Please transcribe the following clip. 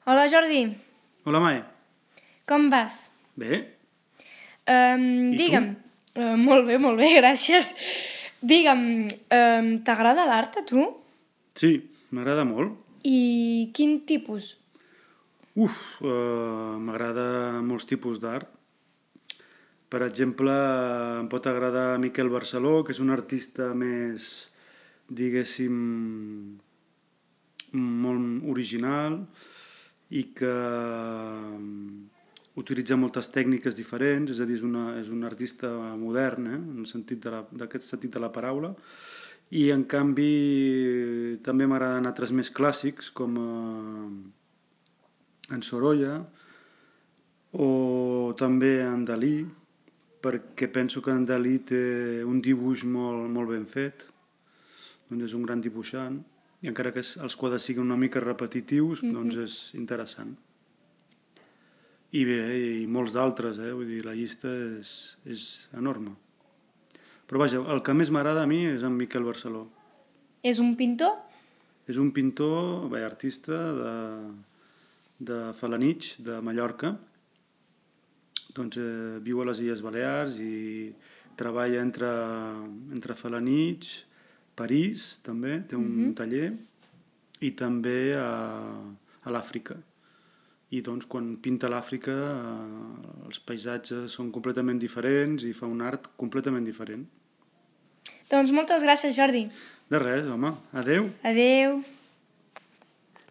Hola Jordi, Hola, Mai. com vas? Bé? Digue'm, molt bé, gràcies. Digue'm, t'agrada l'art a tu? Sí, m'agrada molt. I quin tipus? M'agrada molts tipus d'art. Per exemple, em pot agradar Miquel Barceló, que és un artista més, diguéssim, molt original i que utilitza moltes tècniques diferents, és a dir, és un artista modern, en d'aquest sentit de la paraula, i en canvi també m'agraden altres més clàssics com en Sorolla o també en Dalí, perquè penso que en Dalí té un dibuix molt ben fet, doncs és un gran dibuixant, i encara que els quadres siguin una mica repetitius, doncs és interessant. I bé, i molts d'altres, vull dir, la llista és enorme. Però vaja, el que més m'agrada a mi és en Miquel Barceló. És un pintor? És un pintor, artista de Felanitx, de Mallorca. Doncs viu a les Illes Balears i treballa entre Felanitx, París, també, té un taller, i també a l'Àfrica. I doncs quan pinta a l'Àfrica els paisatges són completament diferents i fa un art completament diferent. Doncs moltes gràcies, Jordi. De res, home. Adeu. Adeu.